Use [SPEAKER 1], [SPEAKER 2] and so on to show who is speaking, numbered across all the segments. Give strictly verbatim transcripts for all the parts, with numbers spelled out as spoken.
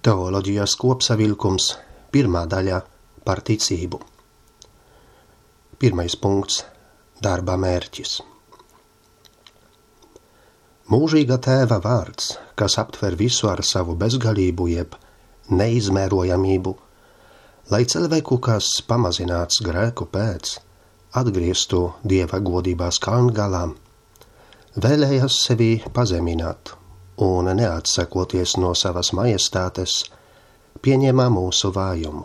[SPEAKER 1] Teoloģijas kopsavilkums, pirmā daļa par ticību. Pirmais punkts – darba mērķis. Mūžīga Tēva vārds, kas aptver visu ar savu bezgalību jeb neizmērojamību, lai cilvēku, kas pamazināts grēku pēc, atgrieztu Dieva godībās kalngalā, vēlējās sevi pazemināt un neatsakoties no savas majestātes, pieņēma mūsu vājumu.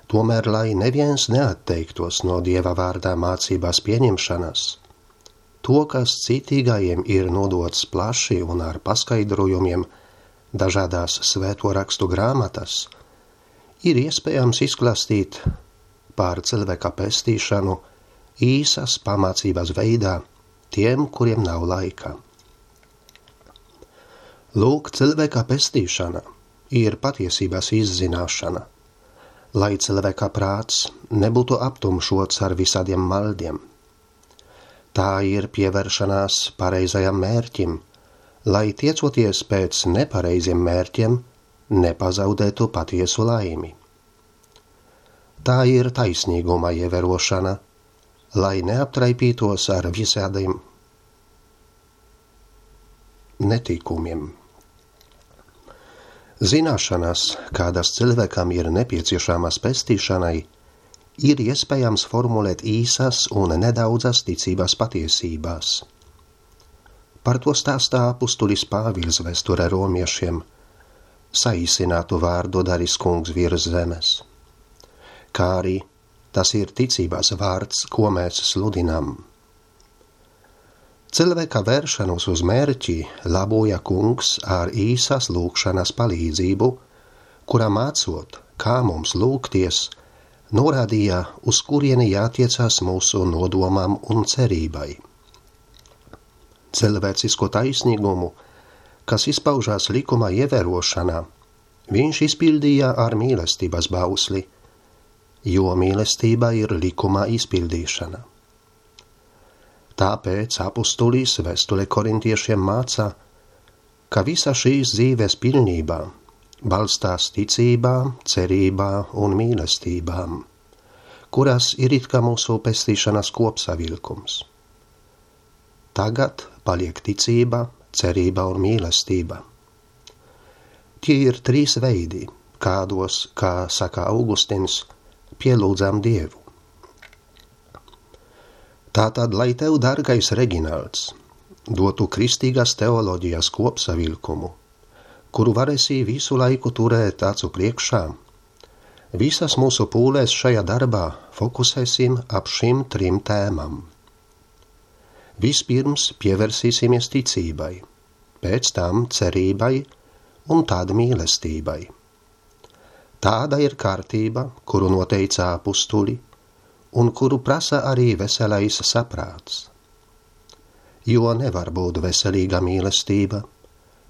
[SPEAKER 1] Tomēr, lai neviens neatteiktos no Dieva vārdā mācībās pieņemšanas, to, kas citīgajiem ir nodots plaši un ar paskaidrojumiem dažādās svēto rakstu grāmatas, ir iespējams izklāstīt pār cilvēka pestīšanu īsas pamācības veidā tiem, kuriem nav laika. Lūk, cilvēka pestīšana ir patiesības izzināšana, lai cilvēka prāts nebūtu aptumšots ar visādiem maldiem. Tā ir pievēršanās pareizajam mērķim, lai tiecoties pēc nepareiziem mērķiem, nepazaudētu patiesu laimi. Tā ir taisnīguma ievērošana, lai neaptraipītos ar visādiem netikumiem. Zināšanas, kādas cilvēkam ir nepieciešamas pestīšanai, ir iespējams formulēt īsas un nedaudzas ticības patiesībās. Par to stāstā apustulis Pāvils vēsturē romiešiem, saīsinātu vārdu darīs kungs virs zemes. Kā arī tas ir ticības vārds, ko mēs sludinām. Cilvēka vēršanos uz mērķi laboja kungs ar īsas lūkšanas palīdzību, kurā mācot, kā mums lūgties, norādīja, uz kurieni jātiecās mūsu nodomam un cerībai. Cilvēcisko taisnīgumu, kas izpaužās likuma ievērošanā, viņš izpildīja ar mīlestības bausli, jo mīlestība ir likuma izpildīšana. Tāpēc apustulis vēstule korintiešiem māca, ka visa šīs dzīves pilnībā balstās ticībā, cerībā un mīlestībām, kuras ir it kā mūsu pestīšanas kopsavilkums. Tagad paliek ticība, cerība un mīlestība. Tie ir trīs veidi, kādos, kā saka Augustins, pielūdzam Dievu. Tātad, lai tev, dargais Reginalds, dotu kristīgās teoloģijas kopsavilkumu, kuru varēsi visu laiku turēt acu priekšā, visas mūsu pūlēs šajā darbā fokusēsim ap šim trim tēmam. Vispirms pievērsīsimies ticībai, pēc tam cerībai un tad mīlestībai. Tāda ir kārtība, kuru noteica apustuli, un kuru prasa arī veselais saprāts. Jo nevar būt veselīga mīlestība,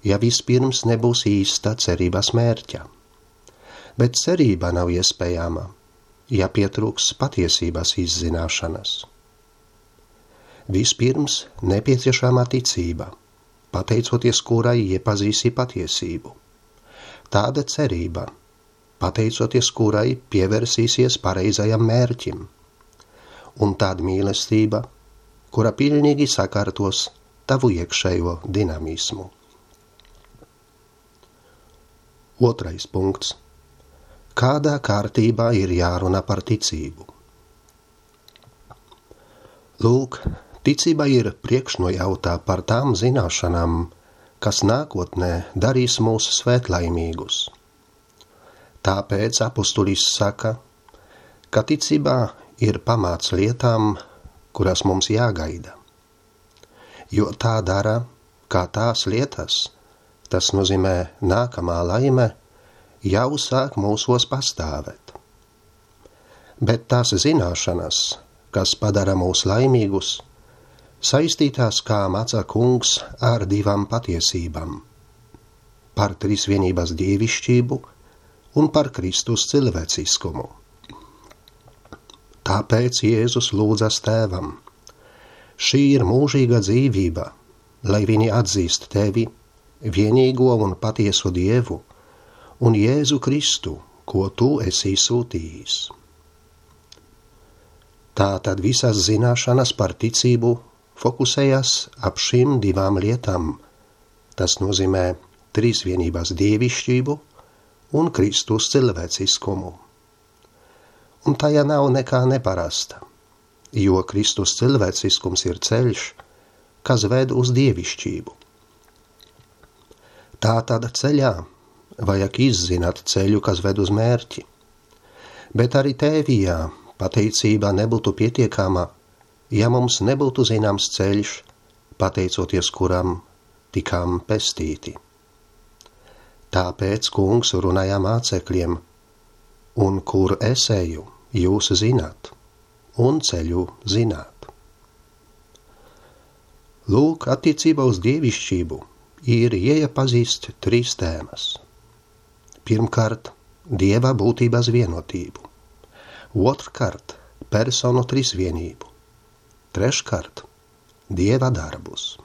[SPEAKER 1] ja vispirms nebūs īsta cerības mērķa. Bet cerība nav iespējama, ja pietrūks patiesības izzināšanas. Vispirms nepieciešama ticība, pateicoties kurai iepazīsi patiesību. Tāda cerība, pateicoties kurai pievērsīsies pareizajam mērķim. Un tāda mīlestība, kura pilnīgi sakārtos tavu iekšējo dinamismu. Otrais punkts. Kādā kārtībā ir jārunā par ticību? Lūk, ticība ir priekšnojautā par tām zināšanām, kas nākotnē darīs mūs svētlaimīgus. Tāpēc apustulis saka, ka ticībā ir pamāts lietām, kuras mums jāgaida. Jo tā dara, kā tās lietas, tas nozīmē nākamā laime, jau sāk mūsos pastāvēt. Bet tās zināšanas, kas padara mūs laimīgus, saistītās, kā māca kungs, ar divām patiesībām – par trīsvienības dievišķību un par Kristus cilvēciskumu. Tāpēc Jēzus lūdzas Tēvam. Šī ir mūžīga dzīvība, lai viņi atzīst Tevi, vienīgo un patieso Dievu, un Jēzu Kristu, ko tu esi sūtījis. Tātad visas zināšanas par ticību fokusējas ap šīm divām lietām. Tas nozīmē trīsvienības dievišķību un Kristus cilvēciskumu. Un tajā nav nekā neparasta, jo Kristus cilvēciskums ir ceļš, kas ved uz dievišķību. Tātad ceļā vajag izzināt ceļu, kas ved uz mērķi, bet arī tēvijā pateicība nebūtu pietiekama, ja mums nebūtu zināms ceļš, pateicoties kuram tikām pestīti. Tāpēc kungs runāja mācekļiem, un kur es eju, jūs zināt, un ceļu zināt. Lūk, attiecībā uz dievišķību ir jāiepazīst trīs tēmas. Pirmkārt, dieva būtības vienotību. Otrkārt, personu trīsvienību. Treškārt, dieva darbus.